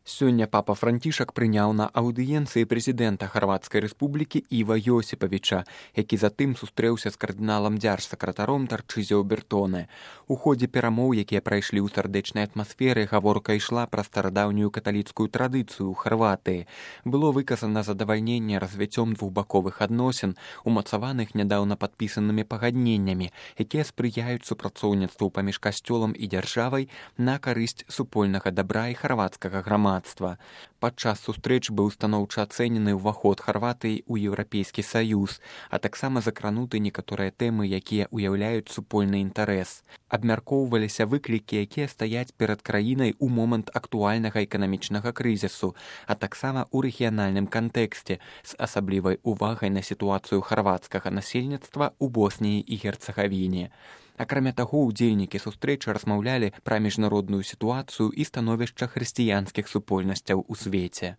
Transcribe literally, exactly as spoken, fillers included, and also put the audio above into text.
Сёння папа Францішак прыняў на аўдыенцыі прэзідэнта Харвацкай рэспублікі Іва Йосіпавіча, які затым сустрэўся з кардыналам дзяржсакратаром Тарчызіо Бертоне. У ходзе перамоў, якія прайшлі ў сардэчнай атмасферы, гаворка ішла пра старадаўнюю каталіцкую традыцыю ў Харватыі. Было выказана задавальненне развіццём двухбаковых адносін, умацаваных нядаўна падпісанымі пагадненнямі, якія спрыяюць супрацоўніцтву паміж касцёлам і дзяржавай на карысць супольнага дабра і харвацкага грамадства. Падчас сустрэч быў станоўча ацэнены ўваход Харватыі ў Еўрапейскі саюз, а таксама закрануты некаторыя тэмы, якія ўяўляюць супольны інтарэс. Абмяркоўваліся выклікі, якія стаяць перад краінай у момант актуальнага эканамічнага крызісу, а таксама ў рэгіянальным кантэксце з асаблівай увагай на сітуацыю харвацкага насельніцтва ў Босніі і Герцагавіне. Акрамя таго, удзельнікі сустрэчы размаўлялі пра міжнародную сітуацыю і становішча хрысціянскіх супольнасцяў у свеце.